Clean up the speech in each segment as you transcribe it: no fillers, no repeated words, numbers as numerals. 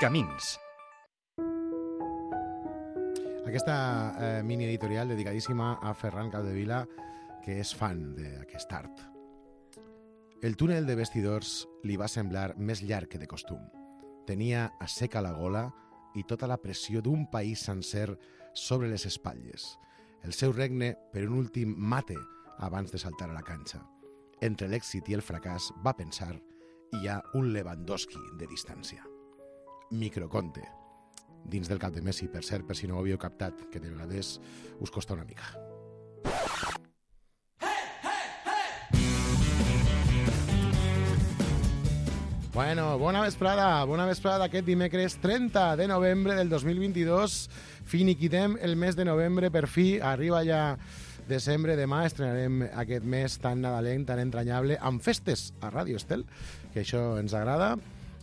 Camins. Aquesta mini editorial dedicadíssima a Ferran Capdevila, que és fan d'aquest art. El túnel de vestidors li va semblar més llarg que de costum. Tenia asseca la gola i tota la pressió d'un país sencer sobre les espatlles. El seu regne per un últim mate abans de saltar a la canxa. Entre l'èxit i el fracàs, va pensar, hi ha un Lewandowski de distància. Microconte. Dins del cap de Messi, per cert, per si no ho havíeu captat, que de vegades us costa una mica. Bueno, bona vesprada aquest dimecres 30 de novembre del 2022. Finiquitem el mes de novembre, per fi, arriba ja desembre. Demà estrenarem aquest mes tan nadalenc, tan entranyable, amb festes a Ràdio Estel, que això ens agrada.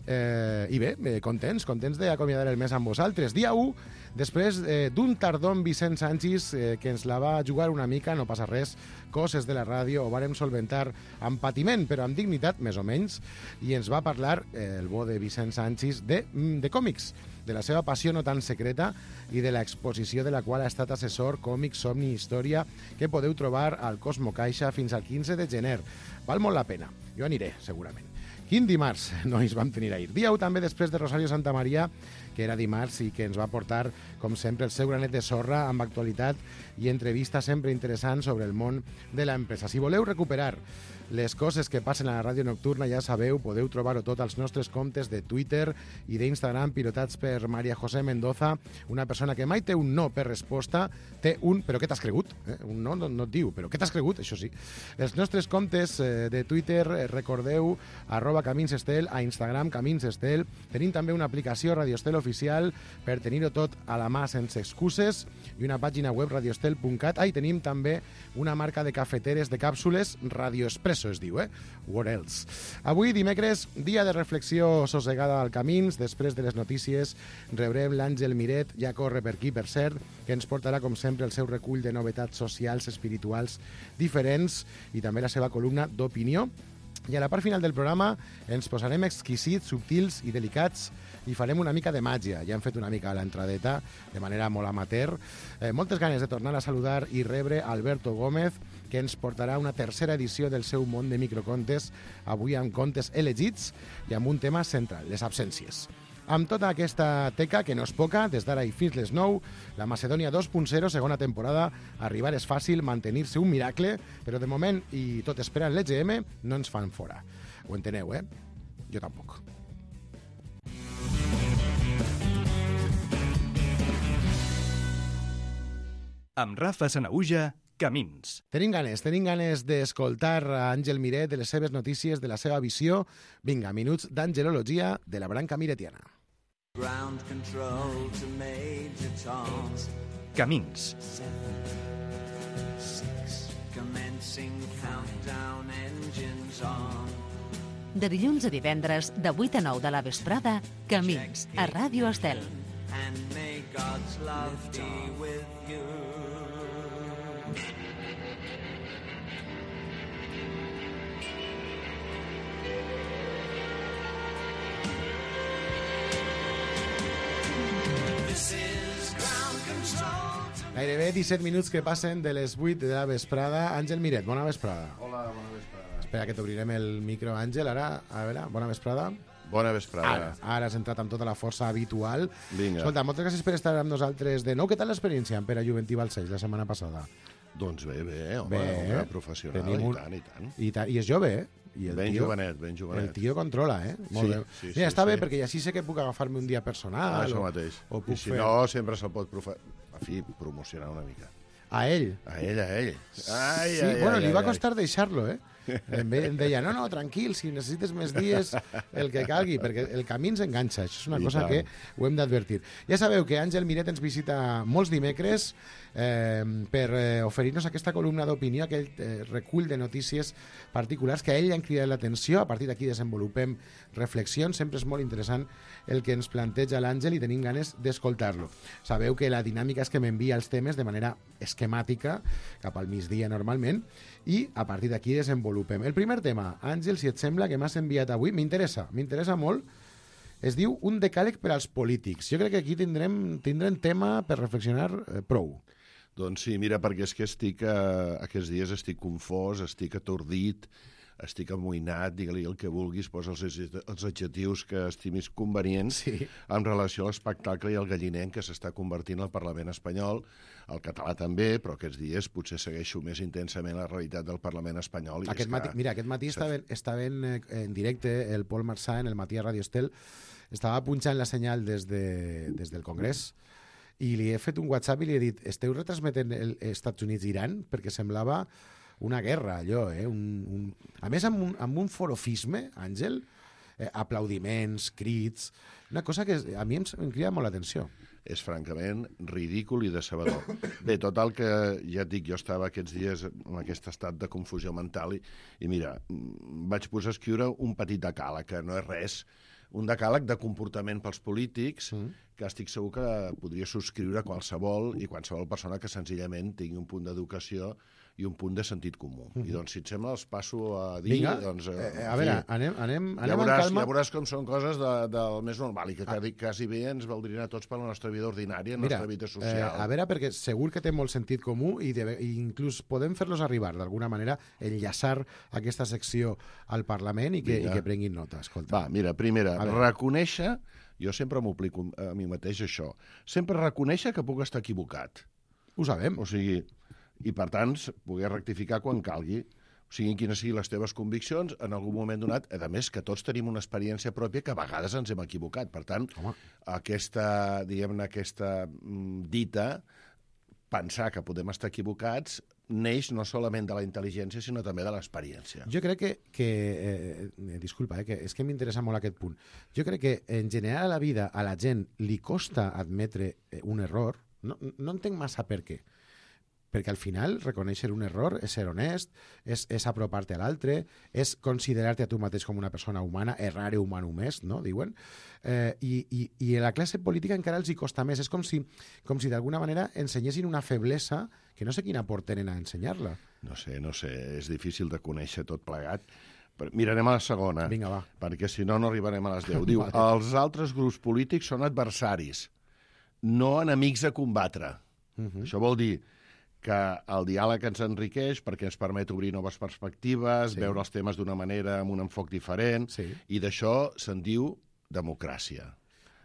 I bé, contents d'acomiadar el mes amb vosaltres. Dia 1, després d'un tardor amb Vicent Sanchis, que ens la va jugar una mica, no passa res, coses de la ràdio, ho vàrem solventar amb patiment, però amb dignitat, més o menys, i ens va parlar, el bo de Vicent Sanchis, de còmics, de la seva passió no tan secreta i de l'exposició de la qual ha estat assessor, còmics, somni i història, que podeu trobar al Cosmo Caixa fins al 15 de gener. Val molt la pena. Jo aniré, segurament. Quin dimarts, nois, vam tenir ahir. Dia 1 també després de Rosario Santamaria, que era dimarts i que ens va portar, com sempre, el seu granet de sorra amb actualitat i entrevista sempre interessant sobre el món de l'empresa. Si voleu recuperar les coses que passen a la ràdio nocturna, ja sabeu, podeu trobar-ho tot als nostres comptes de Twitter i d'Instagram, pilotats per María José Mendoza, una persona que mai té un no per resposta, té un però què t'has cregut? Un no et diu, però què t'has cregut? Això sí. Els nostres comptes de Twitter, recordeu, @CaminsEstel, a Instagram CaminsEstel. Tenim també una aplicació Radio Estel oficial per tenir-ho tot a la mà sense excuses i una pàgina web radioestel.cat. I tenim també una marca de cafeteres de càpsules, Radio Espresso es diu, What else? Avui, dimecres, dia de reflexió sossegada al Camins. Després de les notícies rebrem l'Àngel Miret, ja corre per aquí, per cert, que ens portarà, com sempre, el seu recull de novetats socials, espirituals, diferents i també la seva columna d'opinió. I a la part final del programa ens posarem exquisits, subtils i delicats i farem una mica de màgia. Ja hem fet una mica a l'entradeta, de manera molt amateur. Moltes ganes de tornar a saludar i rebre Alberto Gómez, que ens portarà una tercera edició del seu món de microcontes, avui amb contes elegits i amb un tema central, les absències. Amb tota aquesta teca, que no és poca, des d'ara i fins les 9, la Macedònia 2.0, segona temporada, arribar és fàcil, mantenir-se un miracle, però de moment, i tot esperant l'EGM, no ens fan fora. Ho enteneu, Jo tampoc. Amb Rafa Sanahuja, Camins. Tenim ganes d'escoltar a Àngel Miret, de les seves notícies, de la seva visió. Vinga, minuts d'angelologia de la branca miretiana. Ground control to Major Tom. Camins. 7, 6, commencing countdown, engines on. De dilluns a divendres, de 8 a 9 de la vesprada, Camins, a Ràdio Estel. And may God's love be with you. Gairebé 17 minuts que passen de les 8 de la vesprada. Àngel Miret, bona vesprada. Hola, bona vesprada. Espera que t'obrirem el micro, Àngel. Ara, a veure, bona vesprada. Bona vesprada. Ara has entrat amb tota la força habitual. Vinga. Escolta, moltes gràcies per estar amb nosaltres de nou. Què tal l'experiència en Pere Juventí Balcells la setmana passada? Doncs bé, home, professional, i tant. I és jove, I el ben tio, jovenet, ben jovenet. El tio controla, Molt bé. Sí, Mira, està bé, perquè així sé que puc agafar-me un dia personal. Això mateix. O puc I si fer... no, sempre se'l pot promocionar una mica. A ell? A ell. Sí, bueno, li va costar deixar-lo, Em deia, no, tranquil, si necessites més dies, el que calgui, perquè el camí ens enganxa. Això és una cosa que ho hem d'advertir. Ja sabeu que Àngel Miret ens visita molts dimecres per oferir-nos aquesta columna d'opinió, aquell recull de notícies particulars que a ell li han cridat l'atenció. A partir d'aquí desenvolupem reflexions. Sempre és molt interessant el que ens planteja l'Àngel i tenim ganes d'escoltar-lo. Sabeu que la dinàmica és que m'envia els temes de manera esquemàtica, cap al migdia normalment, i a partir d'aquí desenvolupem. El primer tema, Àngel, si et sembla, que m'has enviat avui, m'interessa molt, Es diu Un decàleg per als polítics. Jo crec que aquí tindrem tema per reflexionar prou. Doncs sí, mira, perquè és que aquests dies estic confós, estic atordit, estic amoïnat, digue-li el que vulguis, posa els adjectius que estimis convenients en relació a l'espectacle i al galliner que s'està convertint al Parlament espanyol, el català també, però aquests dies potser segueixo més intensament la realitat del Parlament espanyol. Aquest matí estava en directe el Pol Marsà en el Matí a Radio Estel, estava punxant la senyal des del Congrés i li he fet un WhatsApp i li he dit esteu retransmetent els Estats Units-Iran? Perquè semblava una guerra, allò, a més amb un forofisme, Àngel, aplaudiments, crits, una cosa que a mi em crida molt l'atenció. És francament ridícul i decebedor. Bé, total que, ja et dic, jo estava aquests dies en aquest estat de confusió mental i mira, vaig posar a escriure un petit decàleg, que no és res, un decàleg de comportament pels polítics que estic segur que podria subscriure qualsevol persona que senzillament tingui un punt d'educació i un punt de sentit comú. I doncs, si et sembla, els passo a dir... Vinga, a veure, anem en calma. Ja veuràs com són coses del més normal i que quasi bé ens valdrien a tots per la nostra vida ordinària, la nostra vida social. A veure, perquè segur que té molt sentit comú i inclús podem fer-los arribar, d'alguna manera, enllaçar aquesta secció al Parlament i que prenguin nota. Escolta. Va, mira, primera, reconèixer... Jo sempre m'obligo a mi mateix això. Sempre reconèixer que puc estar equivocat. Ho sabem. O sigui, i per tant, poder rectificar quan calgui. O sigui, quines siguin les teves conviccions, en algun moment donat, a més que tots tenim una experiència pròpia que a vegades ens hem equivocat. Per tant, aquesta dita, pensar que podem estar equivocats, neix no solament de la intel·ligència, sinó també de l'experiència. Jo crec que disculpa, que és que m'interessa molt aquest punt. Jo crec que en general a la vida a la gent li costa admetre un error, no entenc massa per què. Perquè al final reconèixer un error és ser honest, és apropar-te a l'altre, és considerar-te a tu mateix com una persona humana, errare humanum est, no? Diuen. I a la classe política encara els hi costa més. És com si d'alguna manera ensenyessin una feblesa que no sé quin aport tenen a ensenyar-la. No sé, és difícil de conèixer tot plegat. Mirarem a la segona. Vinga, va. Perquè si no arribarem a les 10. Diu, els altres grups polítics són adversaris, no enemics a combatre. Això vol dir que el diàleg ens enriqueix perquè ens permet obrir noves perspectives, veure els temes d'una manera, amb un enfoc diferent, i d'això se'n diu democràcia.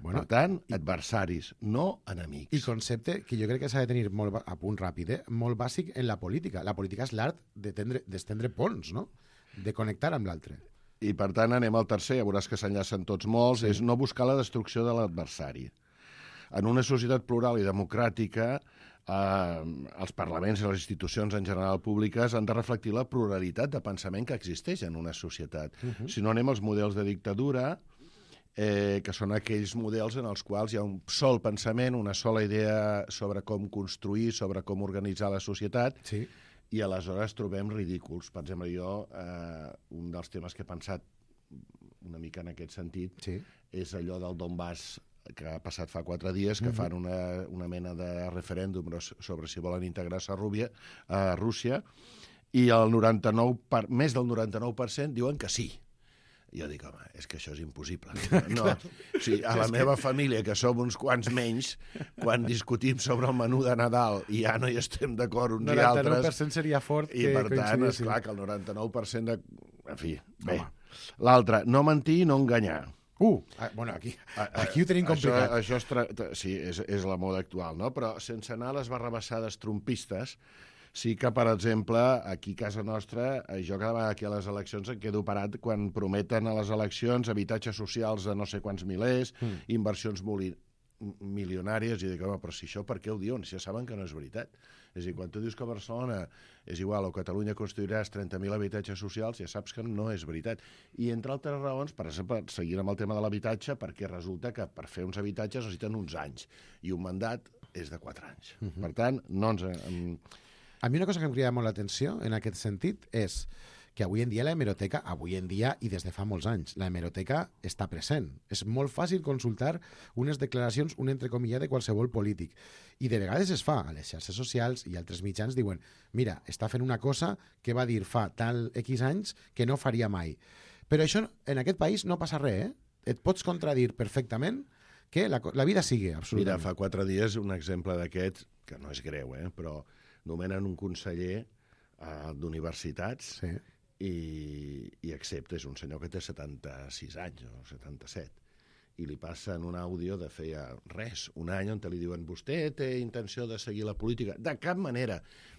Per tant, adversaris, no enemics. I concepte que jo crec que s'ha de tenir molt a punt ràpid, molt bàsic en la política. La política és l'art d'estendre ponts, no? De connectar amb l'altre. I per tant anem al tercer, ja veuràs que s'enllacen tots molts, és no buscar la destrucció de l'adversari. En una societat plural i democràtica, els parlaments i les institucions en general públiques han de reflectir la pluralitat de pensament que existeix en una societat. Si no anem als models de dictadura, que són aquells models en els quals hi ha un sol pensament, una sola idea sobre com construir, sobre com organitzar la societat, i aleshores trobem ridículs. Per exemple, jo, un dels temes que he pensat una mica en aquest sentit és allò del Donbass, que ha passat fa 4 dies, que fan una mena de referèndum sobre si volen integrar-se a Rússia, i més del 99% diuen que sí. Jo dic, home, és que això és impossible. No, o sigui, a la meva família, que som uns quants menys, quan discutim sobre el menú de Nadal i ja no hi estem d'acord uns i altres... 99% seria fort que coincidissin. I per tant, esclar que el 99% de... En fi, bé. L'altre, no mentir i no enganyar. Bueno, aquí ho tenim complicat. Això sí, és la moda actual, no? Però sense anar a les barrabassades trumpistes, sí que, per exemple, aquí a casa nostra, jo cada vegada aquí a les eleccions em quedo parat quan prometen a les eleccions habitatges socials de no sé quants milers, inversions milionàries, i dic, home, però si això per què ho diuen? Si ja saben que no és veritat. És a dir, quan tu dius que a Barcelona és igual o Catalunya construiràs 30.000 habitatges socials, ja saps que no és veritat. I entre altres raons, per exemple, seguint amb el tema de l'habitatge, perquè resulta que per fer uns habitatges necessiten uns anys, i un mandat és de 4 anys. Per tant, no ens... A mi una cosa que em crida molt l'atenció en aquest sentit és que avui en dia i des de fa molts anys, la hemeroteca està present. És molt fàcil consultar unes declaracions, un entrecomillat de qualsevol polític. I de vegades es fa a les xarxes socials i altres mitjans diuen mira, està fent una cosa que va dir fa tal X anys que no faria mai. Però això en aquest país no passa res, et pots contradir perfectament que la vida sigue, absolutament. Mira, fa 4 dies un exemple d'aquests, que no és greu, però nomenen un conseller d'universitats i accepta, és un senyor que té 76 anys o 77, i li passen un àudio de feia un any on li diuen vostè té intenció de seguir la política? De cap manera.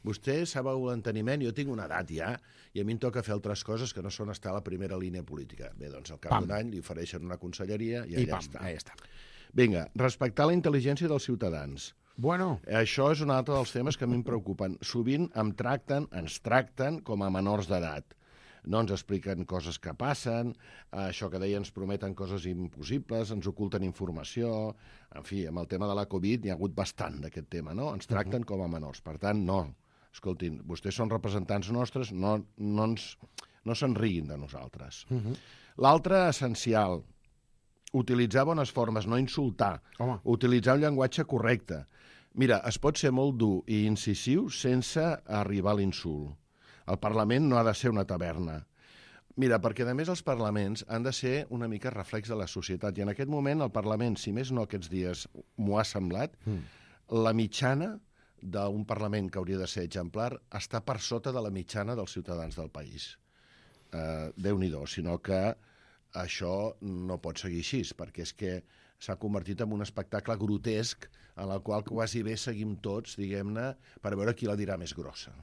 Vostè sabeu l'enteniment, jo tinc una edat ja, i a mi em toca fer altres coses que no són estar a la primera línia política. Bé, doncs al cap d'un any li ofereixen una conselleria i allà està. Vinga, respectar la intel·ligència dels ciutadans. Bueno. Això és un altre dels temes que a mi em preocupen. Sovint ens tracten com a menors d'edat. No ens expliquen coses que passen, això que deia ens prometen coses impossibles, ens oculten informació, en fi, amb el tema de la Covid n'hi ha hagut bastant d'aquest tema, no? Ens tracten com a menors, per tant, no. Escoltin, vostès són representants nostres, no se'n riguin de nosaltres. L'altre essencial, utilitzar bones formes, no insultar, utilitzar un llenguatge correcte. Mira, es pot ser molt dur i incisiu sense arribar a l'insult. El Parlament no ha de ser una taverna. Mira, perquè a més els parlaments han de ser una mica reflex de la societat. I en aquest moment el Parlament, si més no aquests dies m'ho ha semblat, la mitjana d'un Parlament que hauria de ser exemplar està per sota de la mitjana dels ciutadans del país. Déu-n'hi-do, sinó que això no pot seguir així, perquè és que s'ha convertit en un espectacle grotesc en el qual quasi bé seguim tots, diguem-ne, per veure qui la dirà més grossa.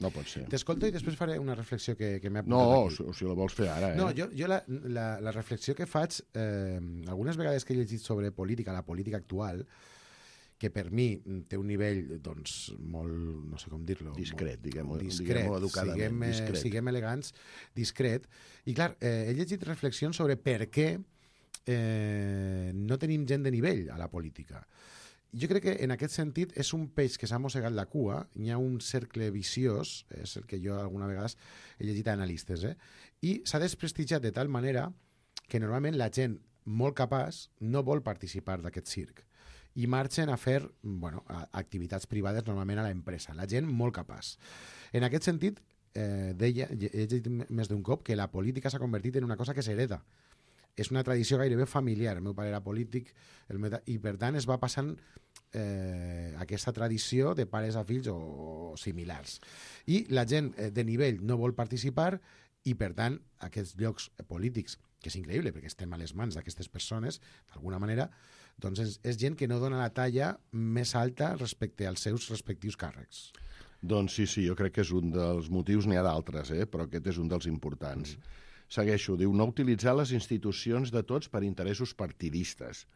No pot ser. T'escolto i després faré una reflexió que m'he apuntat aquí. No, si la vols fer ara. No, jo la reflexió que faig, algunes vegades que he llegit sobre política, la política actual, que per mi té un nivell, doncs, molt, no sé com dir-lo... Discret, diguem-ho educadament. Siguem elegants, discret. I clar, he llegit reflexions sobre per què no tenim gent de nivell a la política. Jo crec que en aquest sentit és un peix que s'ha mossegat la cua, hi ha un cercle viciós, és el que jo alguna vegada he llegit a analistes, i s'ha desprestigiat de tal manera que normalment la gent molt capaç no vol participar d'aquest circ i marxen a fer activitats privades normalment a l'empresa, la gent molt capaç. En aquest sentit, deia, he dit més d'un cop, que la política s'ha convertit en una cosa que s'hereda. És una tradició gairebé familiar. El meu pare era polític i per tant es va passant aquesta tradició de pares a fills o similars. I la gent de nivell no vol participar i per tant aquests llocs polítics, que és increïble perquè estem a les mans d'aquestes persones, d'alguna manera, doncs és gent que no dona la talla més alta respecte als seus respectius càrrecs. Doncs sí, jo crec que és un dels motius, n'hi ha d'altres, però aquest és un dels importants. Segueixo, diu, no utilitzar les institucions de tots per interessos partidistes.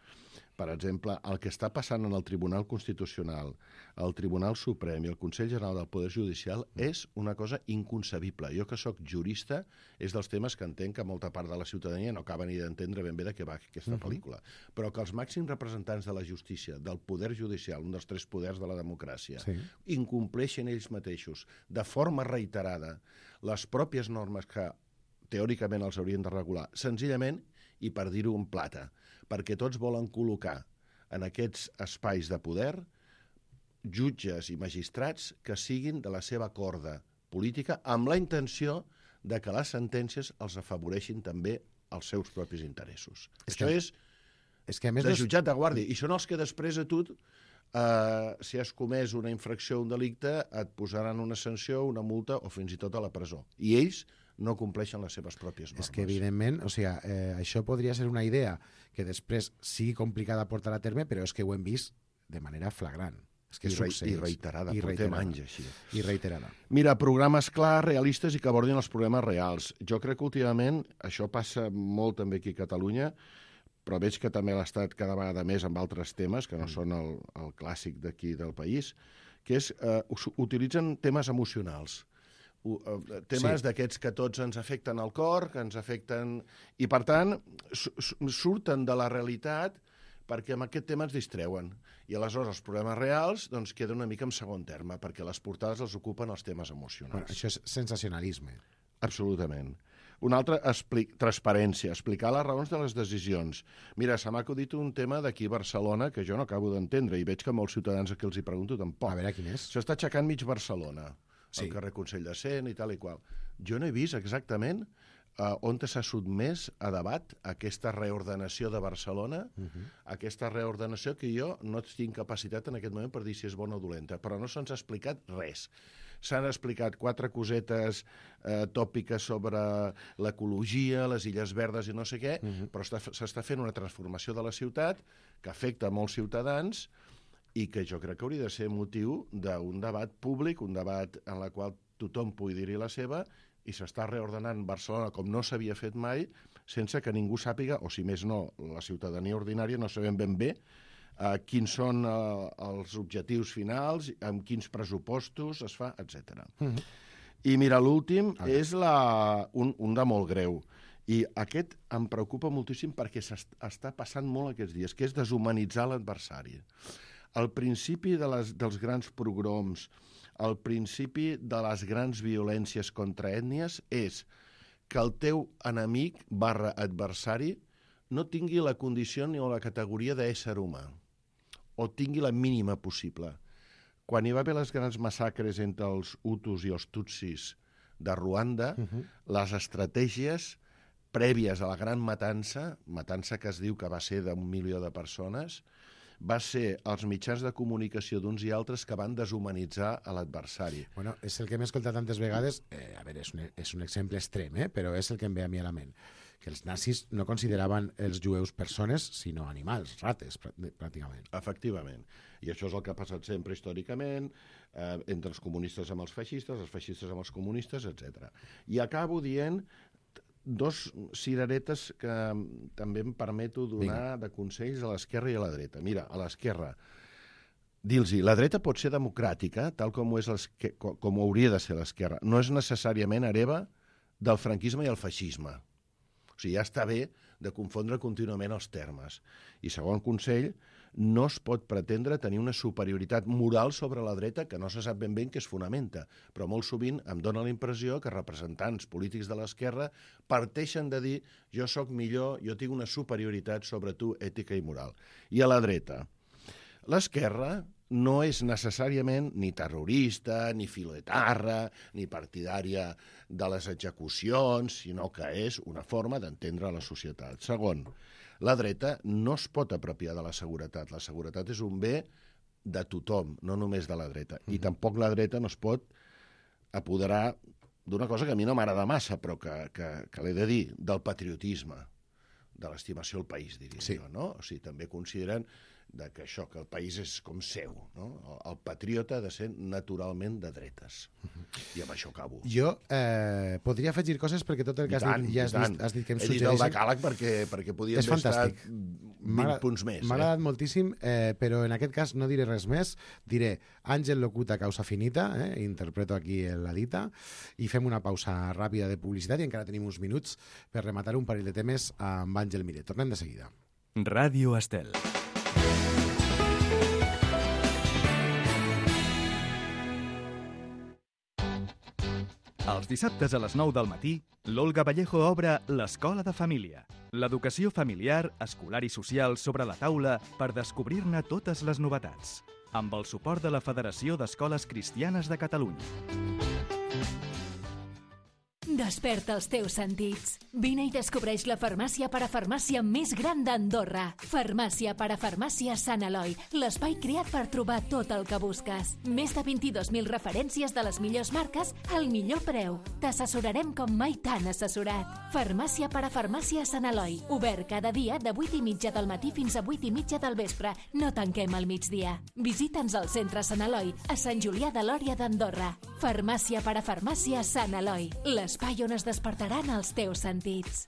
Per exemple, el que està passant en el Tribunal Constitucional, el Tribunal Suprem i el Consell General del Poder Judicial és una cosa inconcebible. Jo que sóc jurista, és dels temes que entenc que molta part de la ciutadania no acaba ni d'entendre ben bé de què va aquesta pel·lícula. Però que els màxims representants de la justícia, del Poder Judicial, un dels 3 poders de la democràcia, incompleixen ells mateixos de forma reiterada les pròpies normes que teòricament els haurien de regular, senzillament, i per dir-ho en plata, perquè tots volen col·locar en aquests espais de poder jutges i magistrats que siguin de la seva corda política amb la intenció de que les sentències els afavoreixin també als seus propis interessos. Això és de jutjat de guàrdia, i són els que després a tu, si has comès una infracció o un delicte, et posaran una sanció, una multa o fins i tot a la presó. I ells no compleixen les seves pròpies normes. És que, evidentment, això podria ser una idea que després sigui complicada de portar a terme, però és que ho hem vist de manera flagrant. És que I reiterada, portem anys així. I reiterada. Mira, programes clars, realistes i que abordin els problemes reals. Jo crec que últimament això passa molt també aquí a Catalunya, però veig que també l'ha estat cada vegada més amb altres temes, que no són el clàssic d'aquí del país, que és utilitzen temes emocionals. Temes d'aquests que tots ens afecten al cor, que ens afecten... I, per tant, surten de la realitat perquè amb aquest tema ens distreuen. I aleshores els problemes reals queden una mica en segon terme, perquè les portades els ocupen els temes emocionals. Això és sensacionalisme. Absolutament. Un altre, transparència, explicar les raons de les decisions. Mira, se m'ha acudit un tema d'aquí a Barcelona que jo no acabo d'entendre i veig que molts ciutadans a qui els hi pregunto tampoc. A veure, quin és? S'està aixecant mig Barcelona. El carrer Consell de Cent i tal i qual. Jo no he vist exactament on s'ha sotmès a debat aquesta reordenació de Barcelona, aquesta reordenació que jo no tinc capacitat en aquest moment per dir si és bona o dolenta, però no se'ns ha explicat res. S'han explicat 4 cosetes tòpiques sobre l'ecologia, les Illes Verdes i no sé què, però s'està fent una transformació de la ciutat que afecta molts ciutadans i que jo crec que hauria de ser motiu d'un debat públic, un debat en el qual tothom pugui dir-hi la seva, i s'està reordenant Barcelona com no s'havia fet mai, sense que ningú sàpiga, o si més no, la ciutadania ordinària no sabem ben bé quins són els objectius finals, amb quins pressupostos es fa, etc. I mira, l'últim és un de molt greu. I aquest em preocupa moltíssim perquè s'està passant molt aquests dies, que és deshumanitzar l'adversari. Al principi dels grans pogroms, al principi de les grans violències contra ètnies, és que el teu enemic / adversari no tingui la condició ni la categoria d'ésser humà, o tingui la mínima possible. Quan hi va haver les grans massacres entre els Hutus i els Tutsis de Ruanda, les estratègies prèvies a la gran matança que es diu que va ser d'1 milió de persones, va ser els mitjans de comunicació d'uns i altres que van deshumanitzar a l'adversari. Bueno, és el que hem escoltat tantes vegades, a veure, és un exemple extrem, però és el que em ve a mi a la ment, que els nazis no consideraven els jueus persones, sinó animals, rates, pràcticament. Efectivament. I això és el que ha passat sempre històricament, entre els comunistes amb els feixistes amb els comunistes, etc. I acabo dient 2 cireretes que també em permeto donar de consells a l'esquerra i a la dreta. Mira, a l'esquerra, dir-los, la dreta pot ser democràtica, tal com com hauria de ser l'esquerra. No és necessàriament hereva del franquisme i el feixisme. O sigui, ja està bé de confondre contínuament els termes. I segon consell, no es pot pretendre tenir una superioritat moral sobre la dreta que no se sap ben bé en què es fonamenta, però molt sovint em dóna la impressió que representants polítics de l'esquerra parteixen de dir jo sóc millor, jo tinc una superioritat sobre tu ètica i moral. I a la dreta, l'esquerra no és necessàriament ni terrorista, ni filoetarra, ni partidària de les execucions, sinó que és una forma d'entendre la societat. Segon, la dreta no es pot apropiar de la seguretat. La seguretat és un bé de tothom, no només de la dreta. I tampoc la dreta no es pot apoderar d'una cosa que a mi no m'agrada massa, però que l'he de dir, del patriotisme, de l'estimació al país, diria jo, no? O sigui, també consideren que això, que el país és com seu, no? El patriota ha de ser naturalment de dretes. I amb això acabo. Jo podria afegir coses perquè tot el que has dit que em suggereixen... He dit el decàleg perquè podia haver estat 20 punts més. M'ha agradat moltíssim, però en aquest cas no diré res més. Diré Àngel locuta causa finita, interpreto aquí la dita, i fem una pausa ràpida de publicitat i encara tenim uns minuts per rematar un parell de temes amb Àngel Miret. Tornem de seguida. Ràdio Estel. Els dissabtes a les 9 del matí, l'Olga Vallejo obre l'Escola de Família. L'educació familiar, escolar i social sobre la taula per descobrir-ne totes les novetats. Amb el suport de la Federació d'Escoles Cristianes de Catalunya. Desperta els teus sentits. Vine i descobreix la farmàcia parafarmàcia més gran d'Andorra. Farmàcia parafarmàcia Sant Eloi, l'espai creat per trobar tot el que busques. Més de 22.000 referències de les millors marques al millor preu. T'assessorarem com mai t'han assessorat. Farmàcia parafarmàcia Sant Eloi, obert cada dia de 8:30 del matí fins a 8:30 del vespre. No tanquem al migdia. Visita'ns al centre Sant Eloi, a Sant Julià de Lòria d'Andorra. Farmàcia parafarmàcia Sant Eloi, l'espai on es despertaran els teus sentits.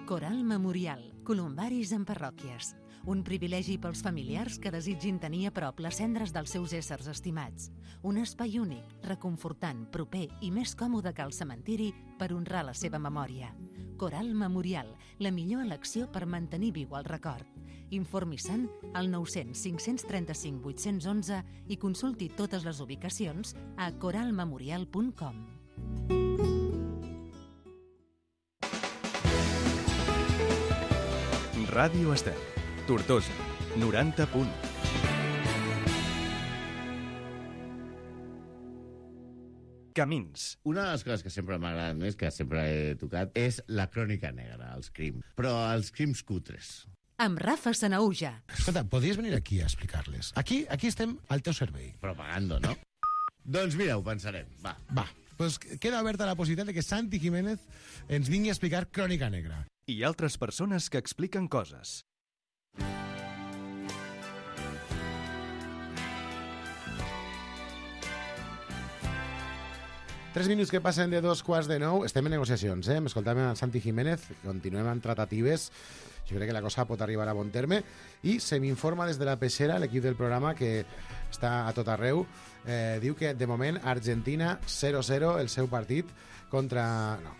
Coral Memorial, columbaris en parròquies. Un privilegi pels familiars que desitgin tenir a prop les cendres dels seus éssers estimats. Un espai únic, reconfortant, proper i més còmode que el cementiri per honrar la seva memòria. Coral Memorial, la millor elecció per mantenir viu el record. Informi-se'n al 900 535 811 i consulti totes les ubicacions a coralmemorial.com. Ràdio Estel, Tortosa, 90 punt. Camins. Una de les coses que sempre m'agraden més, que sempre he tocat, és la crònica negra, els crims. Però els crims cutres. Amb Rafa Sanauja. Escolta, podries venir aquí a explicar-les. Aquí estem al teu servei. Propagando, no? Doncs mira, ho pensarem, va. Va, doncs queda oberta la possibilitat de que Santi Jiménez ens vingui a explicar Crònica Negra. I altres persones que expliquen coses. 3 minuts que passen de 8:45. Estem en negociacions, M'escoltàvem amb Santi Jiménez, continuem amb tractatives. Jo crec que la cosa pot arribar a bon terme. I se m'informa des de la peixera, l'equip del programa, que està a tot arreu. Diu que, de moment, Argentina 0-0, el seu partit, contra... No.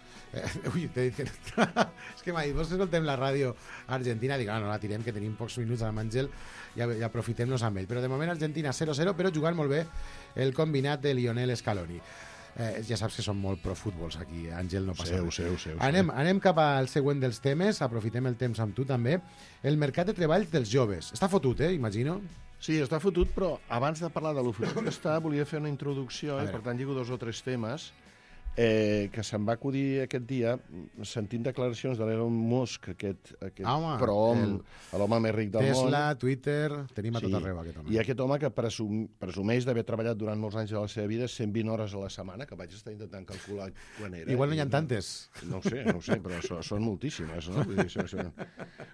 Ui, t'he dit que... És que m'ha dit, vols que escoltem la ràdio argentina? Dic, no la tirem, que tenim pocs minuts amb Àngel i aprofitem-nos amb ell. Però de moment Argentina 0-0, però jugant molt bé el combinat de Lionel Scaloni. Ja saps que són molt pro-futbols aquí, Àngel, no passa res. Anem cap al següent dels temes, aprofitem el temps amb tu també. El mercat de treball dels joves. Està fotut, imagino? Sí, està fotut, però abans de parlar de lo fotut que està, volia fer una introducció, i per tant lligo 2 o 3 temes que se'm va acudir aquest dia sentint declaracions de l'Elon Musk, aquest prohom, l'home més ric del món. Tesla, Twitter, tenim a tot arreu aquest home. I aquest home que presumeix d'haver treballat durant molts anys de la seva vida 120 hores a la setmana, que vaig estar intentant calcular quan era. Igual no hi ha tantes. No ho sé, però són moltíssimes, no? Vull dir,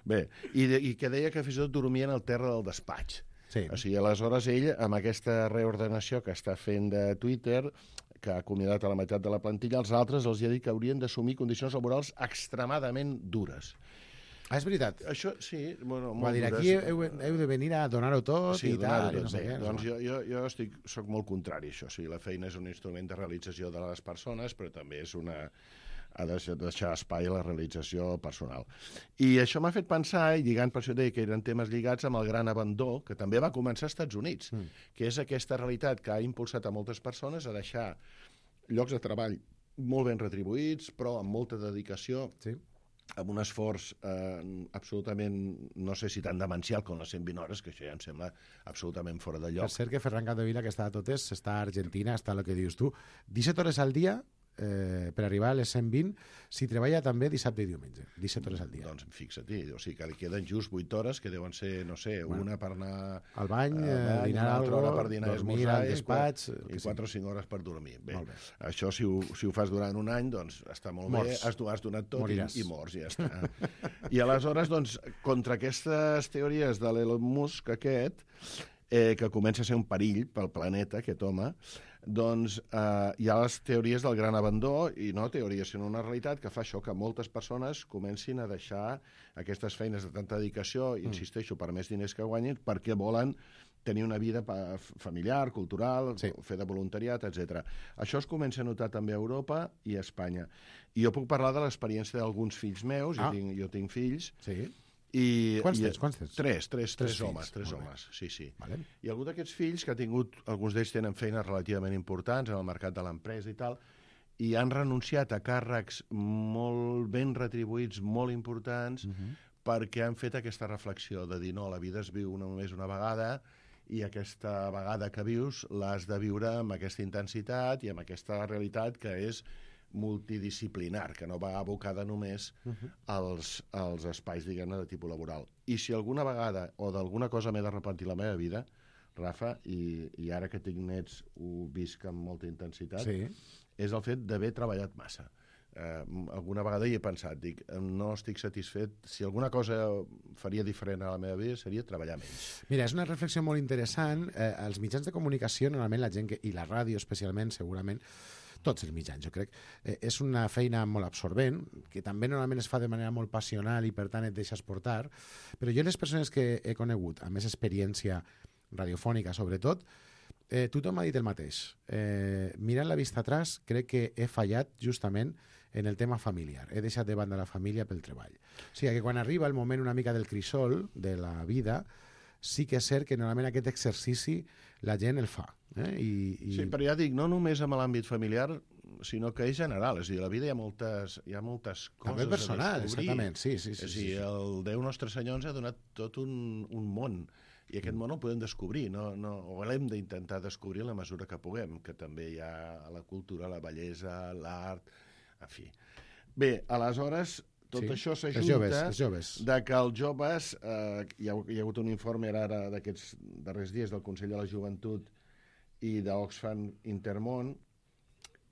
bé, i que deia que fins i tot dormien al terra del despatx. Sí. O sigui, aleshores ell, amb aquesta reordenació que està fent de Twitter, que ha acomiadat a la meitat de la plantilla, els altres els ha dit que haurien d'assumir condicions laborals extremadament dures. Ah, és veritat? Això, sí, bueno, molt dures. Aquí heu de venir a donar-ho tot i tal, i no sé què. Doncs jo soc molt contrari a això. O sigui, la feina és un instrument de realització de les persones, però també és ha de deixar espai a la realització personal. I això m'ha fet pensar, i lligant per això deia que eren temes lligats amb el gran abandó, que també va començar als Estats Units, que és aquesta realitat que ha impulsat a moltes persones a deixar llocs de treball molt ben retribuïts, però amb molta dedicació, amb un esforç absolutament, no sé si tan demencial com les 120 hores, que això ja em sembla absolutament fora de lloc. Per cert que Ferran Capdevila, que està a totes, està a Argentina, està el que dius tu, 17 hores al dia, per arribar a les 120, si treballa també dissabte i diumenge, 17 hores al dia. Doncs fixa't-hi, o sigui que li queden just 8 hores, que deuen ser, no sé, una per anar al bany, dinar alguna cosa, per dinar, dormir al despatx, i 4 o 5 hores per dormir. Bé, això si ho fas durant un any, doncs està molt bé, has donat tot i mors, ja està. I aleshores, doncs, contra aquestes teories de l'Elon Musk aquest, que comença a ser un perill pel planeta, aquest home, doncs hi ha les teories del gran abandó, i no teories, sinó una realitat que fa això, que moltes persones comencin a deixar aquestes feines de tanta dedicació, insisteixo, per més diners que guanyin, perquè volen tenir una vida familiar, cultural, fer de voluntariat, etc. Això es comença a notar també a Europa i a Espanya. I jo puc parlar de l'experiència d'alguns fills meus, jo tinc fills, Quants tens? Tres homes, sí. Vale. I algun d'aquests fills que ha tingut, alguns d'ells tenen feines relativament importants en el mercat de l'empresa i tal, i han renunciat a càrrecs molt ben retribuïts, molt importants, perquè han fet aquesta reflexió de dir, no, la vida es viu només una vegada, i aquesta vegada que vius l'has de viure amb aquesta intensitat i amb aquesta realitat que és multidisciplinar, que no va abocada només als espais, diguem-ne, de tipus laboral. I si alguna vegada o d'alguna cosa m'he de repentir la meva vida, Rafa, i ara que tinc nets ho visc amb molta intensitat, és el fet d'haver treballat massa. Alguna vegada hi he pensat, dic, no estic satisfet, si alguna cosa faria diferent a la meva vida seria treballar menys. Mira, és una reflexió molt interessant. Els mitjans de comunicació, normalment la gent, i la ràdio especialment, segurament, tots els mitjans, jo crec, és una feina molt absorbent, que també normalment es fa de manera molt passional i per tant et deixes portar, però jo les persones que he conegut, amb més experiència radiofònica sobretot, tothom ha dit el mateix. Mirant la vista atrás, crec que he fallat justament en el tema familiar. He deixat de banda la família pel treball. O sigui que quan arriba el moment una mica del crisol de la vida, sí que és cert que normalment aquest exercici la gent el fa. Sí, però ja dic, no només amb l'àmbit familiar, sinó que és general. És a dir, a la vida hi ha moltes coses també personal, a descobrir. exactament, sí. És a dir, el Déu Nostre Senyor ens ha donat tot un món, i aquest món el podem descobrir, o l'hem d'intentar descobrir en la mesura que puguem, que també hi ha la cultura, la bellesa, l'art, en fi. Bé, aleshores, tot això s'ajunta de que els joves, hi ha hagut un informe ara d'aquests darrers dies del Consell de la Joventut i d'Oxfam Intermón,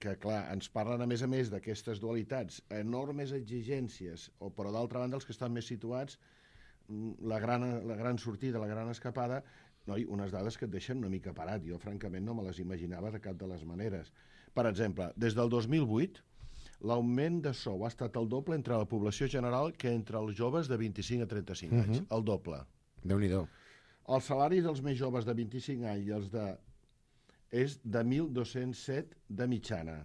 que, clar, ens parlen, a més d'aquestes dualitats, enormes exigències, però d'altra banda, els que estan més situats, la gran sortida, la gran escapada, unes dades que et deixen una mica parat. Jo, francament, no me les imaginava de cap de les maneres. Per exemple, des del 2008, l'augment de sou ha estat el doble entre la població general que entre els joves de 25 a 35 anys. El doble. Déu-n'hi-do. El salari dels més joves de 25 anys i els és de 1.207 de mitjana.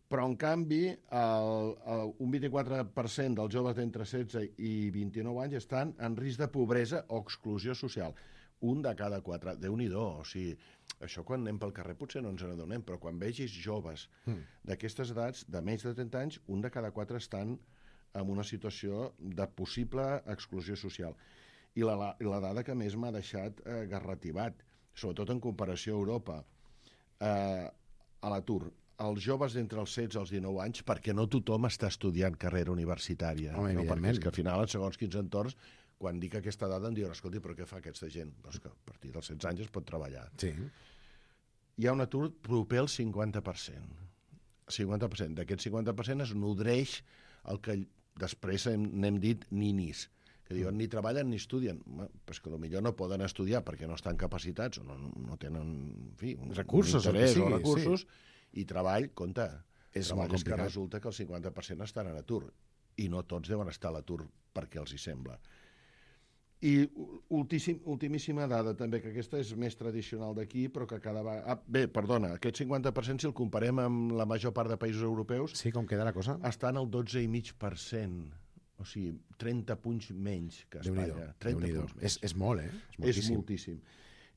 Però, en canvi, un 24% dels joves d'entre 16 i 29 anys estan en risc de pobresa o exclusió social. Un de cada 4. Déu-n'hi-do. O sigui, això quan anem pel carrer potser no ens n'adonem, però quan vegis joves d'aquestes edats, de menys de 30 anys, un de cada 4 estan en una situació de possible exclusió social. I la dada que més m'ha deixat garrativat, sobretot en comparació a Europa, a l'atur. Els joves d'entre els 16 als 19 anys, perquè no tothom està estudiant carrera universitària. Home, perquè és que al final, en segons quins entorns, quan dic aquesta dada em diuen, escolti, però què fa aquesta gent? Doncs que a partir dels 16 anys es pot treballar. Sí. Hi ha un atur proper al 50%. 50%. D'aquest 50% es nodreix el que després n'hem dit ninis, que diuen ni treballen ni estudien. Però és que potser no poden estudiar perquè no estan capacitats o no tenen, en fi, recursos, un interès o recursos, i treball, compte, és treball és que resulta que el 50% estan en atur, i no tots deuen estar a l'atur perquè els hi sembla. I ultimíssima dada també, que aquesta és més tradicional d'aquí, però que cada vegada... Bé, perdona, aquest 50%, si el comparem amb la major part de països europeus... Sí, com queda la cosa? Està en el 12,5%. O sigui, 30 punts menys que Espanya. 30 punts menys. És molt, És moltíssim.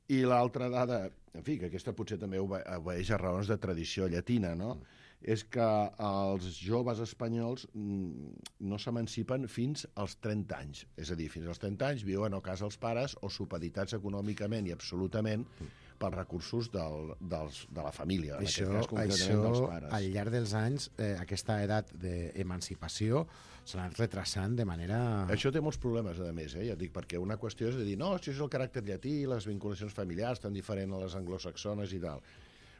I l'altra dada, en fi, que aquesta potser també obeeix a raons de tradició llatina, no? És que els joves espanyols no s'emancipen fins als 30 anys. És a dir, fins als 30 anys viuen a casa els pares o supeditats econòmicament i absolutament pels recursos de la família. Això, dels pares. al llarg dels anys, aquesta edat d'emancipació s'ha anat retrasant de manera... Això té molts problemes, a més, ja et dic, perquè una qüestió és de dir, no, això és el caràcter llatí, les vinculacions familiars tan diferents a les anglosaxones i tal.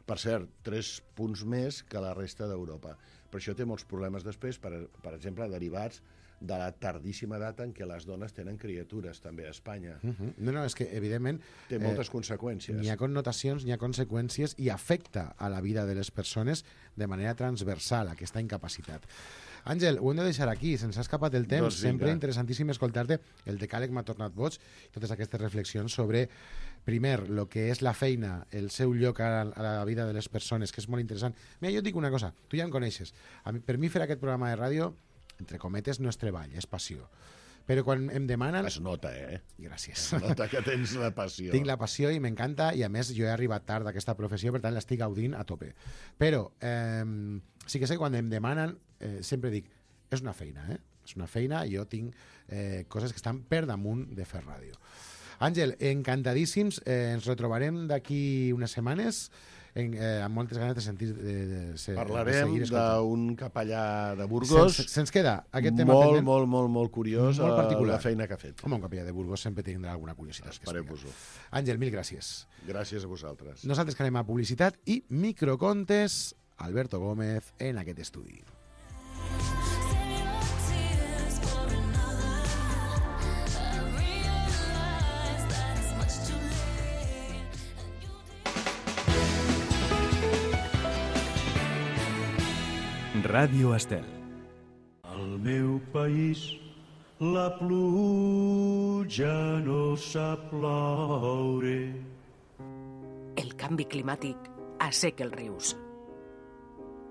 Per cert, 3 punts més que la resta d'Europa. Però això té molts problemes després, per exemple, derivats de la tardíssima edat en què les dones tenen criatures, també a Espanya. No, és que, evidentment... Té moltes conseqüències. N'hi ha connotacions, n'hi ha conseqüències i afecta a la vida de les persones de manera transversal, aquesta incapacitat. Àngel, ho hem de deixar aquí, se'ns ha escapat el temps. Doncs sempre interessantíssim escoltar-te. El decàleg m'ha tornat boig, totes aquestes reflexions sobre, primer, el que és la feina, el seu lloc a la vida de les persones, que és molt interessant. Mira, jo et dic una cosa, tu ja em coneixes. Per mi fer aquest programa de ràdio, entre cometes, no és treball, és passió. Però quan em demanen... Es nota, Gràcies. Es nota que tens la passió. Tinc la passió i m'encanta, i a més jo he arribat tard d'aquesta professió, per tant l'estic gaudint a tope. Però sí que sé que quan em demanen, sempre dic, és una feina, És una feina, i jo tinc coses que estan per damunt de fer ràdio. Àngel, encantadíssims, ens retrobarem d'aquí unes setmanes, amb moltes ganes de sentir... Parlarem d'un capellà de Burgos. Se'ns queda aquest tema pendent. Molt curiós, molt particular. La feina que ha fet. Home, un capellà de Burgos sempre tindrà alguna curiositat. Esperem-vos-ho. Àngel, mil gràcies. Gràcies a vosaltres. Nosaltres que anem a publicitat i microcontes, Alberto Gómez en aquest estudi. Ràdio Estel. Al meu país la pluja no sap ploure. El canvi climàtic asseca els rius.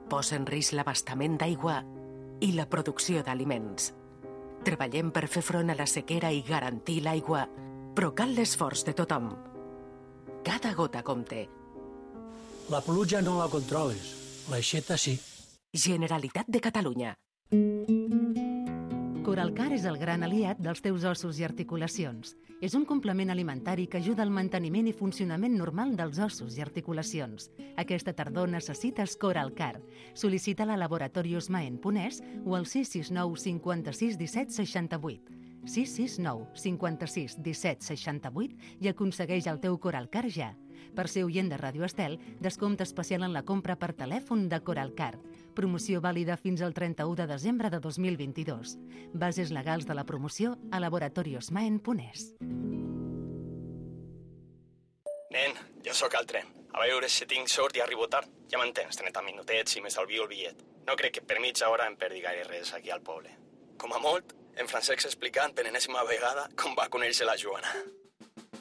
Posa en risc l'abastament d'aigua i la producció d'aliments. Treballem per fer front a la sequera i garantir l'aigua, però cal l'esforç de tothom. Cada gota compte. La pluja no la controles, L'aixeta sí. Generalitat de Catalunya. Coralcar és el gran aliat dels teus ossos i articulacions. És un complement alimentari que ajuda al manteniment i funcionament normal dels ossos i articulacions. Aquesta tardor necessites Coralcar. Sol·licita-la a Laboratorios Maen Ponès o al 669 56 17 68. 669 56 17 68 i aconsegueix el teu Coralcar ja. Per ser oient de Ràdio Estel, descompte especial en la compra per telèfon de Coralcar. Promoció vàlida fins al 31 de desembre de 2022. Bases legals de la promoció a Laboratorios Maen Ponès. Nen, jo sóc al tren. A veure si tinc sort i arribo tard. Ja m'entens, 30 minutets i m'estalvio el bitllet. No crec que per mitja hora em perdi gaire res aquí al poble. Com a molt, en Francesc explicant per enèsima vegada com va conèixer la Joana.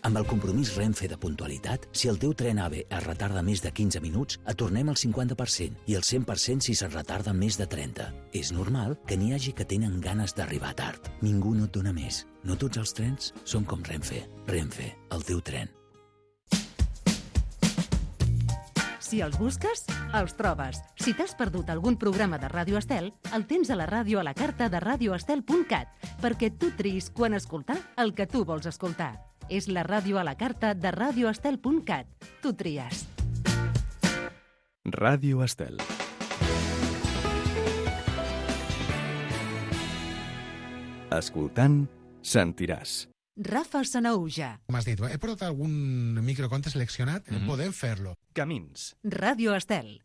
Amb el compromís Renfe de puntualitat, si el teu tren AVE es retarda més de 15 minuts, et tornem el 50% i el 100% si se'n retarda més de 30. És normal que n'hi hagi que tenen ganes d'arribar tard. Ningú no et dona més. No tots els trens són com Renfe. Renfe, el teu tren. Si els busques, els trobes. Si t'has perdut algun programa de Ràdio Estel, el tens a la ràdio a la carta de radioestel.cat, perquè tu triïs quan escoltar el que tu vols escoltar. És la ràdio a la carta de radioestel.cat. Tu tries. Ràdio Estel. Escoltant, sentiràs. Rafa Sanauja. M'has dit, he portat algun microconte seleccionat? Podem fer-lo. Camins. Ràdio Estel.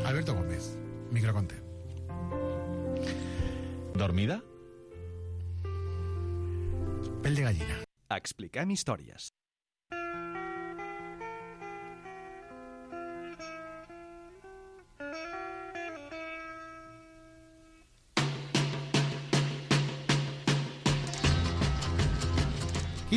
Alberto Gómez, microconte. Dormida? Pell de gallina. Expliquem històries.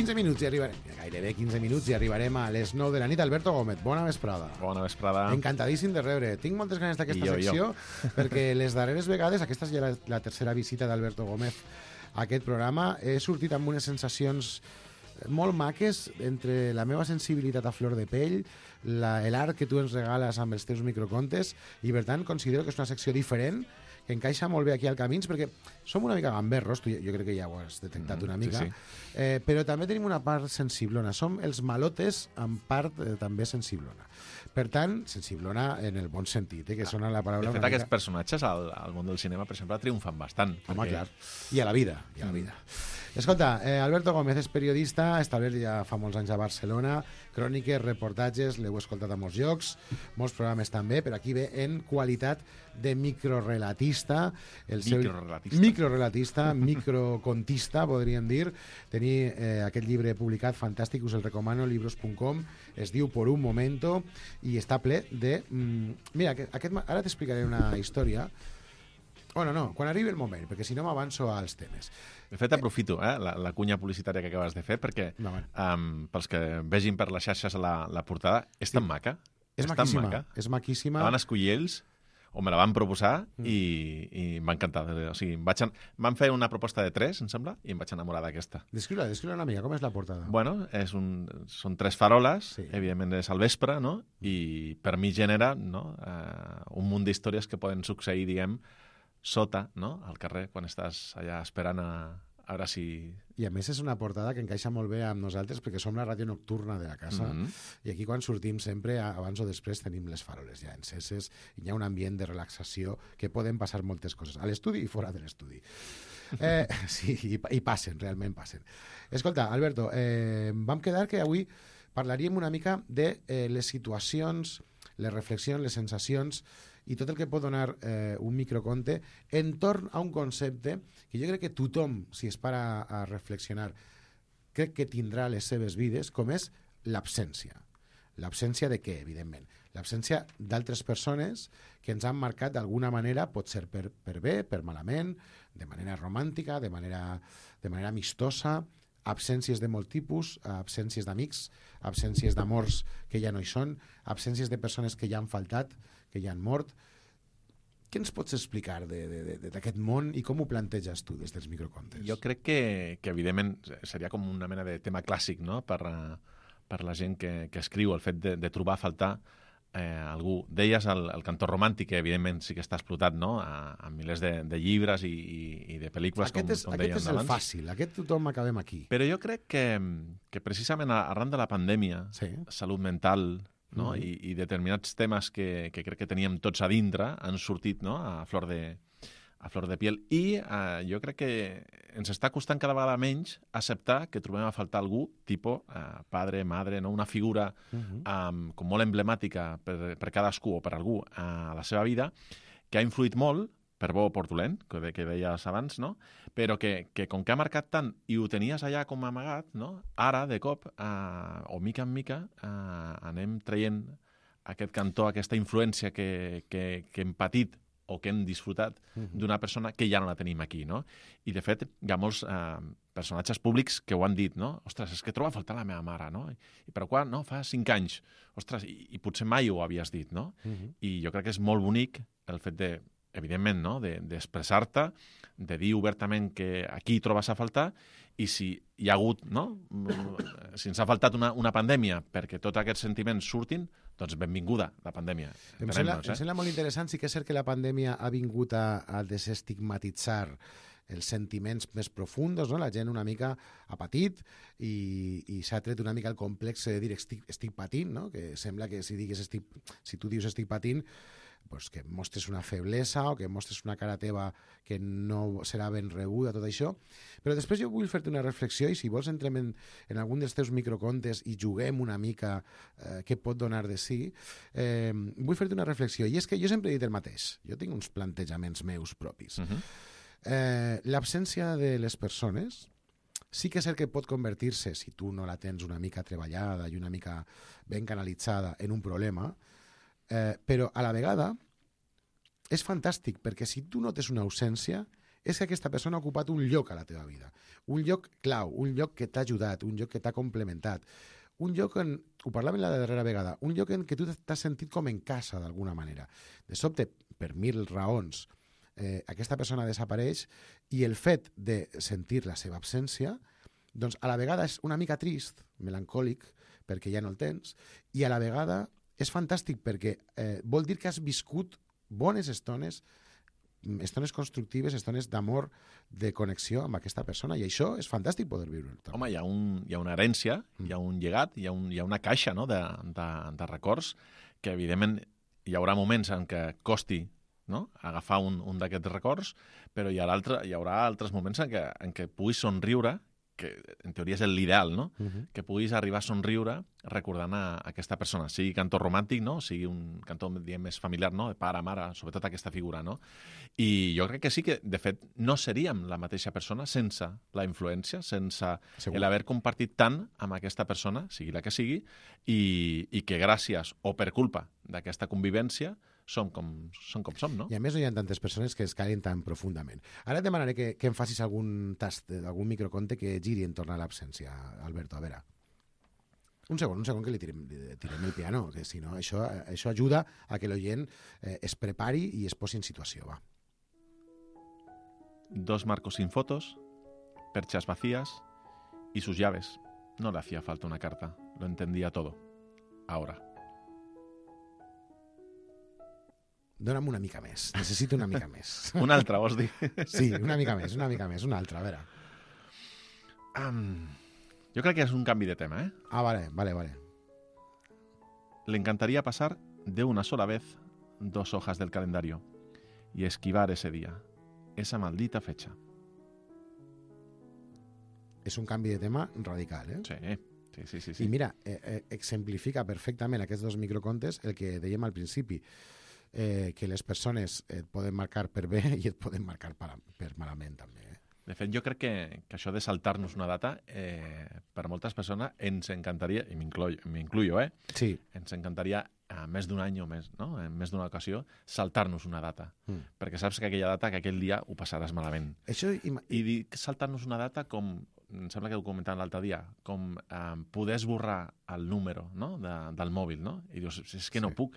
Minuts i arribarem, gairebé 15 minuts i arribarem a les 9 de la nit. Alberto Gómez, bona vesprada. Bona vesprada. Encantadíssim de rebre. Tinc moltes ganes d'aquesta secció perquè les darreres vegades, aquesta és ja la tercera visita d'Alberto Gómez a aquest programa, he sortit amb unes sensacions molt maques entre la meva sensibilitat a flor de pell, l'art que tu ens regales amb els teus microcontes, i per tant considero que és una secció diferent que encaixa molt bé aquí al Camins, perquè som una mica gamberros, tu, jo crec que ja ho has detectat una mica, sí. Però també tenim una part sensiblona, som els malotes amb part també sensiblona. Per tant, sensiblona en el bon sentit, que sona la paraula... De fet, aquests personatges al món del cinema, per exemple, triomfen bastant. Home, clar. I a la vida, Escolta, Alberto Gómez és periodista, establert ja fa molts anys a Barcelona, cròniques, reportatges, l'heu escoltat a molts llocs, molts programes també, però aquí ve en qualitat de microrelatista, microcontista, podríem dir. Tenir aquest llibre publicat, fantàstic, us el recomano, libros.com, es diu Por un momento, i està ple de... Mira, ara t'explicaré una història. Bueno, no, quan arribi el moment, perquè si no m'avanço als temes. De fet, aprofito la cunya publicitària que acabes de fer, perquè pels que vegin per les xarxes la portada, és tan maca. És maquíssima. La van escollir ells, o me la van proposar, i m'ha encantat. O sigui, van fer una proposta de 3, em sembla, i em vaig enamorar d'aquesta. Descriu-la una mica, com és la portada? Bueno, són 3 faroles, evidentment és al vespre, no? I per mi genera un munt d'històries que poden succeir, diguem, sota, no?, al carrer, quan estàs allà esperant a veure si... I a més és una portada que encaixa molt bé amb nosaltres perquè som la ràdio nocturna de la casa i aquí quan sortim sempre, abans o després, tenim les faroles ja enceses i hi ha un ambient de relaxació que poden passar moltes coses, a l'estudi i fora de l'estudi. Sí, i passen, realment passen. Escolta, Alberto, vam quedar que avui parlaríem una mica de les situacions, les reflexions, les sensacions i tot el que pot donar un microconte entorn a un concepte que jo crec que tothom, si es para a reflexionar, crec que tindrà les seves vides, com és l'absència. L'absència de què, evidentment? L'absència d'altres persones que ens han marcat d'alguna manera, pot ser per bé, per malament, de manera romàntica, de manera amistosa, absències de molt tipus, absències d'amics, absències d'amors que ja no hi són, absències de persones que ja han faltat, que ja han mort. Què ens pots explicar d'aquest món i com ho planteges tu des dels microcontes? Jo crec que evidentment, seria com una mena de tema clàssic, no?, per per la gent que escriu, el fet de trobar a faltar algú. Deies el cantó romàntic, que evidentment sí que està explotat, no?, a milers de llibres i de pel·lícules, com dèiem abans. Aquest és el fàcil, aquest tothom acabem aquí. Però jo crec que precisament arran de la pandèmia, salut mental, no?, i determinats temes que crec que teníem tots a dintre han sortit, no?, a flor de piel. I jo crec que ens està costant cada vegada menys acceptar que trobem a faltar algú, tipus padre, madre, no?, una figura com molt emblemàtica per cadascú o per algú a la seva vida, que ha influït molt, per bo o per dolent, que deies abans, no?, però que com que ha marcat tant i ho tenies allà com amagat, no?, ara, de cop, o mica en mica, anem traient aquest cantó, aquesta influència que hem patit o que hem disfrutat d'una persona que ja no la tenim aquí, no? I, de fet, hi ha molts personatges públics que ho han dit, no? Ostres, és que trobo a faltar la meva mare, no? I però quan? No, fa 5 anys. Ostres, i potser mai ho havies dit, no? I jo crec que és molt bonic el fet de, evidentment, no?, d'expressar-te, de dir obertament que aquí trobes a faltar, i si hi ha hagut, no?, si ens ha faltat una pandèmia perquè tots aquests sentiments surtin, doncs benvinguda la pandèmia. Em sembla molt interessant. Sí que és cert que la pandèmia ha vingut a desestigmatitzar els sentiments més profunds, no? La gent una mica ha patit i s'ha tret una mica el complex de dir estic patint, no? Que sembla que si tu dius estic patint, pues que mostres una feblesa o que mostres una cara teva que no serà ben rebuda, tot això. Però després jo vull fer-te una reflexió i si vols entrem en algun dels teus microcontes i juguem una mica què pot donar de si, vull fer-te una reflexió. I és que jo sempre he dit el mateix. Jo tinc uns plantejaments meus propis. L'absència de les persones sí que és cert que pot convertir-se, si tu no la tens una mica treballada i una mica ben canalitzada, en un problema, però a la vegada és fantàstic perquè si tu notes una ausència és que aquesta persona ha ocupat un lloc a la teva vida, un lloc clau, un lloc que t'ha ajudat, un lloc que t'ha complementat, un lloc en, ho parlàvem la darrera vegada, un lloc en què tu t'has sentit com en casa d'alguna manera. De sobte, per 1000 raons, aquesta persona desapareix i el fet de sentir la seva absència doncs a la vegada és una mica trist, melancòlic, perquè ja no el tens, i a la vegada és fantàstic perquè vol dir que has viscut bones estones constructives, estones d'amor, de connexió amb aquesta persona, i això és fantàstic poder viure. Home, hi ha una herència, hi ha un llegat, hi ha una caixa, no?, de records que, evidentment, hi haurà moments en què costi, no?, agafar un d'aquests records, però hi haurà altres moments en què puguis somriure, que en teoria és l'ideal, no?, que puguis arribar a somriure recordant a aquesta persona, sigui cantó romàntic, no?, sigui un cantó, diguem, més familiar, no?, de pare, mare, sobretot aquesta figura, no? I jo crec que sí que, de fet, no seríem la mateixa persona sense la influència, sense l'haver compartit tant amb aquesta persona, sigui la que sigui, i que gràcies o per culpa d'aquesta convivència som com som, no? I a més no hi ha tantes persones que es calin tan profundament. Ara et demanaré que em facis algun tast d'algun microconte que giri en torn a l'absència, Alberto, a veure. Un segon que li tirem el piano, que si no, això ajuda a que l'oient es prepari i es posi en situació, va. 2 marcos sin fotos, perchas vacías y sus llaves. No le hacía falta una carta, lo entendía todo. Ahora. Dóna'm una mica més, necessito una mica més. Una altra, vols dir? Sí, una mica més, una altra, a veure. Yo creo que es un cambio de tema, ¿eh? Ah, vale. Le encantaría pasar de una sola vez 2 hojas del calendario y esquivar ese día, esa maldita fecha. És un canvi de tema radical, eh? Sí. I mira, exemplifica perfectament aquests 2 microcontes el que dèiem al principi, que les persones et poden marcar per bé i et poden marcar per malament també. De fet, jo crec que això de saltar-nos una data, per moltes persones ens encantaria, i m'incluyo, Sí. Ens encantaria més d'un any o més, no?, en més d'una ocasió, saltar-nos una data. Perquè saps que aquella data, que aquell dia ho passaràs malament. I dir saltar-nos una data com, em sembla que ho comentàvem l'altre dia, com poder esborrar el número, no?, del mòbil, no? I dius, és que no puc.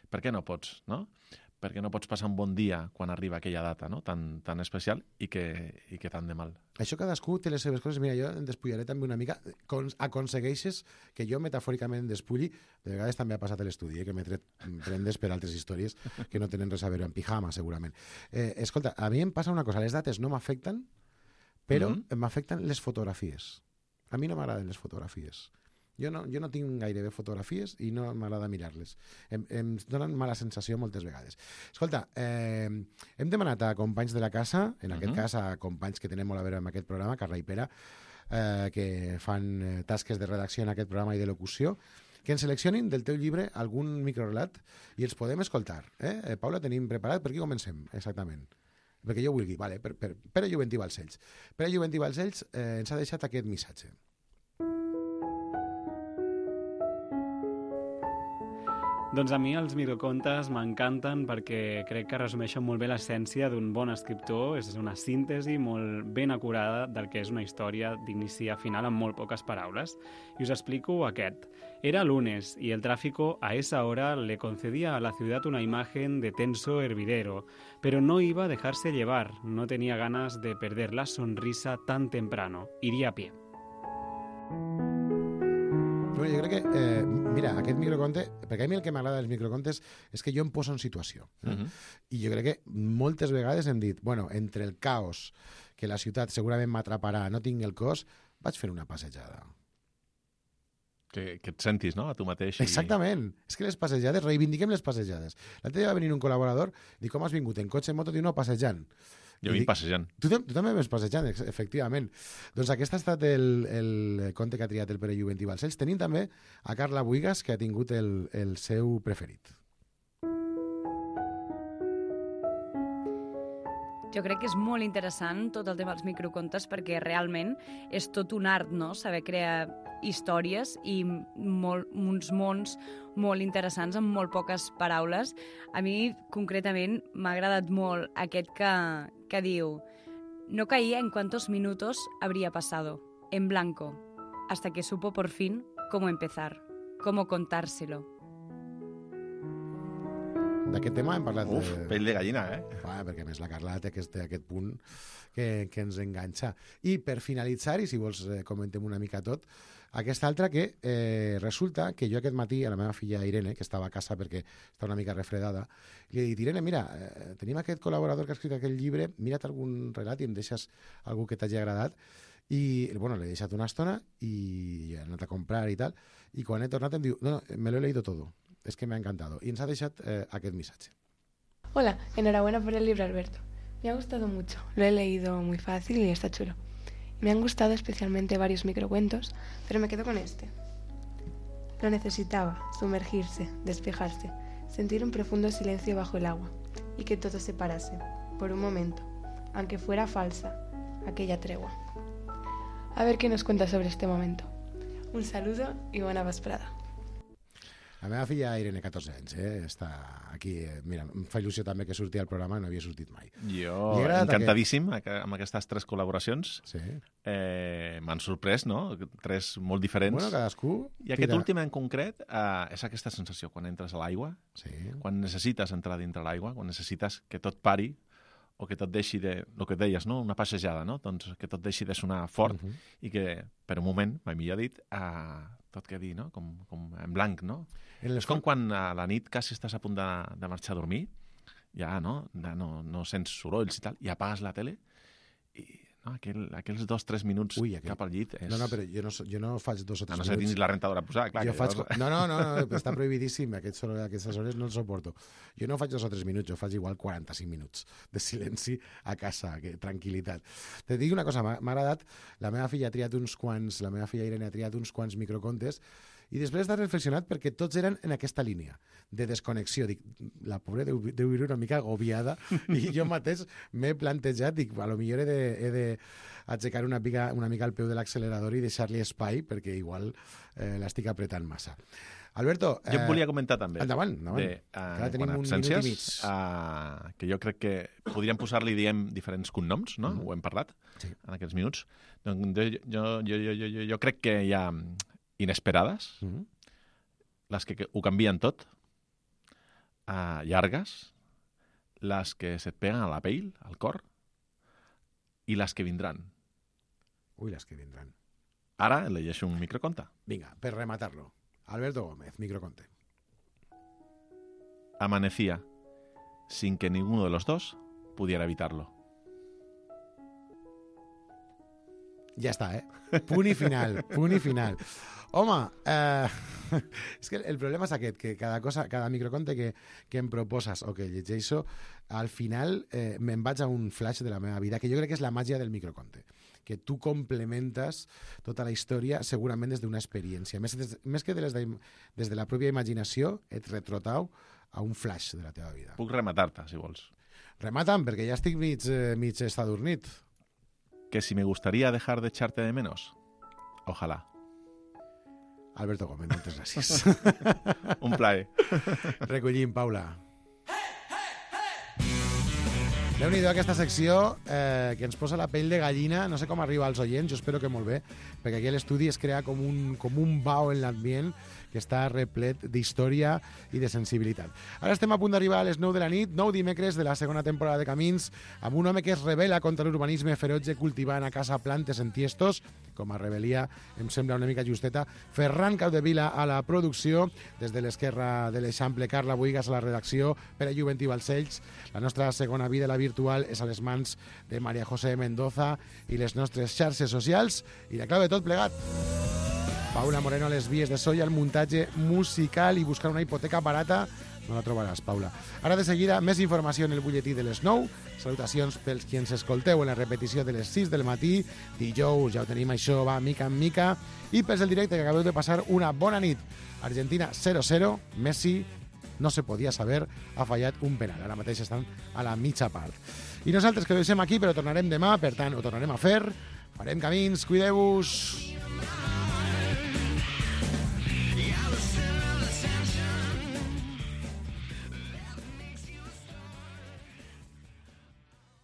Per què no pots, no? perquè no pots passar un bon dia quan arriba aquella data, no? tan especial i que tant de mal. Això cadascú té les seves coses. Mira, jo em despullaré també una mica. Aconsegueixes que jo metafòricament despulli. De vegades també ha passat a l'estudi, que m'he tret prendes per altres històries que no tenen res a veure amb pijama, segurament. Escolta, a mi em passa una cosa. Les dates no m'afecten, però m'afecten les fotografies. A mi no m'agraden les fotografies. Jo no tinc gairebé fotografies i no m'agrada mirar-les. Em donen mala sensació moltes vegades. Escolta, hem demanat a companys de la casa, en aquest cas a companys que tenen molt a veure amb aquest programa, Carla i Pere, que fan tasques de redacció en aquest programa i de locució, que ens seleccionin del teu llibre algun microrelat i els podem escoltar. Paula, tenim preparat? Per qui comencem, exactament? Perquè jo vulgui. Vale, Pere Juventí Balcells. Pere Juventí Balcells ens ha deixat aquest missatge. Doncs a mi els microcontes m'encanten perquè crec que resumeixen molt bé l'essència d'un bon escriptor. És una síntesi molt ben acurada del que és una història d'inici a final amb molt poques paraules. Y os explico aquest. Era lunes y el tráfico a esa hora le concedía a la ciudad una imagen de tenso hervidero, pero no iba a dejarse llevar, no tenía ganas de perder la sonrisa tan temprano. Iría a pie. Bueno, jo crec que, mira, aquest microconte, perquè a mi el que m'agrada dels microcontes és que jo em poso en situació. I jo crec que moltes vegades hem dit, bueno, entre el caos, que la ciutat segurament m'atraparà, no tinc el cos, vaig fer una passejada. Que et sentis, no?, a tu mateix. Exactament. És que les passejades, reivindiquem les passejades. L'altre dia va venir un col·laborador, dic, com has vingut? En cotxe, en moto? Diu, no, passejant. Jo vinc passejant. Tu també vas passejant, efectivament. Doncs aquest ha estat el conte que ha triat el Pere Juventí Balcells. Tenim també a Carla Buigas, que ha tingut el seu preferit. Jo crec que és molt interessant tot el tema dels microcontes perquè realment és tot un art, no?, saber crear històries i uns mons molt interessants amb molt poques paraules. A mi, concretament, m'ha agradat molt aquest que diu «No caía en cuántos minutos habría pasado, en blanco, hasta que supo por fin cómo empezar, cómo contárselo». D'aquest tema hem parlat... Pell de gallina, perquè a més la Carla té aquest punt que ens enganxa. I per finalitzar, i si vols comentem una mica tot, aquesta altra que resulta que jo aquest matí a la meva filla Irene, que estava a casa perquè està una mica refredada, li he dit, Irene, mira, tenim aquest col·laborador que ha escrit aquell llibre, mira't algun relat i em deixes algú que t'hagi agradat. I, bueno, l'he deixat una estona i he anat a comprar i tal, i quan he tornat em diu, no, me lo he leído todo. Es que me ha encantado. Y nos ha dejado aquest mensaje. Hola, enhorabuena por el libro, Alberto. Me ha gustado mucho. Lo he leído muy fácil y está chulo. Me han gustado especialmente varios microcuentos, pero me quedo con este. Lo necesitaba, sumergirse, despejarse, sentir un profundo silencio bajo el agua y que todo se parase, por un momento, aunque fuera falsa, aquella tregua. A ver qué nos cuenta sobre este momento. Un saludo y buena vesprada. La meva filla Irene, 14 anys, està aquí. Mira, em fa il·lusió també que surti al programa, no havia sortit mai. Jo, encantadíssim amb aquestes 3 col·laboracions. Sí. M'han sorprès, no? 3 molt diferents. Bueno, cadascú... I aquest últim en concret és aquesta sensació quan entres a l'aigua, quan necessites entrar dintre l'aigua, quan necessites que tot pari, o que tot deixi de... El que deies, no? Una passejada, no? Doncs que tot deixi de sonar fort i que, per un moment, mai millor dit, tot quedi, no? Com en blanc, no? És com quan a la nit quasi estàs a punt de marxar a dormir, ja no sents sorolls i tal, i apagues la tele i aquells 2-3 minuts cap al llit és... No, però jo no faig 2 o 3 minuts. No sé, tens la rentadora posada, clar. No, està prohibidíssim, aquestes hores no els suporto. Jo no faig 2 o 3 minuts, jo faig igual 45 minuts de silenci a casa, tranquil·litat. Te dic una cosa, m'ha agradat, la meva filla Irene ha triat uns quants microcontes i després d'haver reflexionat perquè tots eren en aquesta línia de desconnexió. Dic, la pobra deu viure una mica agobiada i jo mateix m'he plantejat, dic, a lo millor he d'aixecar una mica el peu de l'accelerador i deixar-li espai perquè igual l'estic apretant massa. Alberto... Jo et volia comentar també. Endavant. Ara tenim un minut i mig. Que jo crec que podríem posar-li, diferents cognoms, no? Ho hem parlat en aquests minuts. Jo crec que hi ha inesperades, les que ho canvien tot, llargues, las que se et peguen a la pell, al cor, i les que vindran. Ui, les que vindran. Ara llegeixo un microconte. Vinga, per rematar-lo. Alberto Gómez, microconte. Amanecía, sin que ninguno de los dos pudiera evitarlo. Ja està, Punt i final, punt i final. Home, és que el problema és aquest, que cada microconte que em proposes o que llegeixo, al final me'n vaig a un flash de la meva vida, que jo crec que és la màgia del microconte, que tu complementes tota la història segurament des d'una experiència. Més que des de la pròpia imaginació, et retrotau a un flash de la teva vida. Puc rematar-te, si vols. Remata'm, perquè ja estic mig estadornit. Que si me gustaría dejar de echarte de menos. Ojalá. Alberto Gómez, moltes gràcies. Un plaer. Recollim, Paula. Déu-n'hi-do aquesta secció que ens posa la pell de gallina. No sé com arriba als oients, jo espero que molt bé, perquè aquí a l'estudi es crea com un bau en l'ambient que està replet d'història i de sensibilitat. Ara estem a punt d'arribar a les 9 de la nit, 9 dimecres de la segona temporada de Camins, amb un home que es rebel·la contra l'urbanisme ferotge cultivant a casa plantes en tiestos, com a rebel·lia em sembla una mica justeta. Ferran Capdevila a la producció, des de l'esquerra de l'Eixample, Carla Boigas a la redacció, Pere Juventí Balcells. La nostra segona vida, la virtual, és a les mans de María José Mendoza i les nostres xarxes socials i la clau de tot plegat. Paula Moreno a les vies de so i al muntatge musical, i buscar una hipoteca barata no la trobaràs, Paula. Ara de seguida, més informació en el butlletí de les 9. Salutacions pels qui ens escolteu en la repetició de les 6 del matí. Dijous, ja ho tenim, això va mica en mica. I pels del directe, que acabeu de passar una bona nit. Argentina 0-0, Messi, no se podia saber, ha fallat un penal. Ara mateix estan a la mitja part. I nosaltres que ho deixem aquí, però tornarem demà, per tant, ho tornarem a fer. Farem camins, cuideu-vos.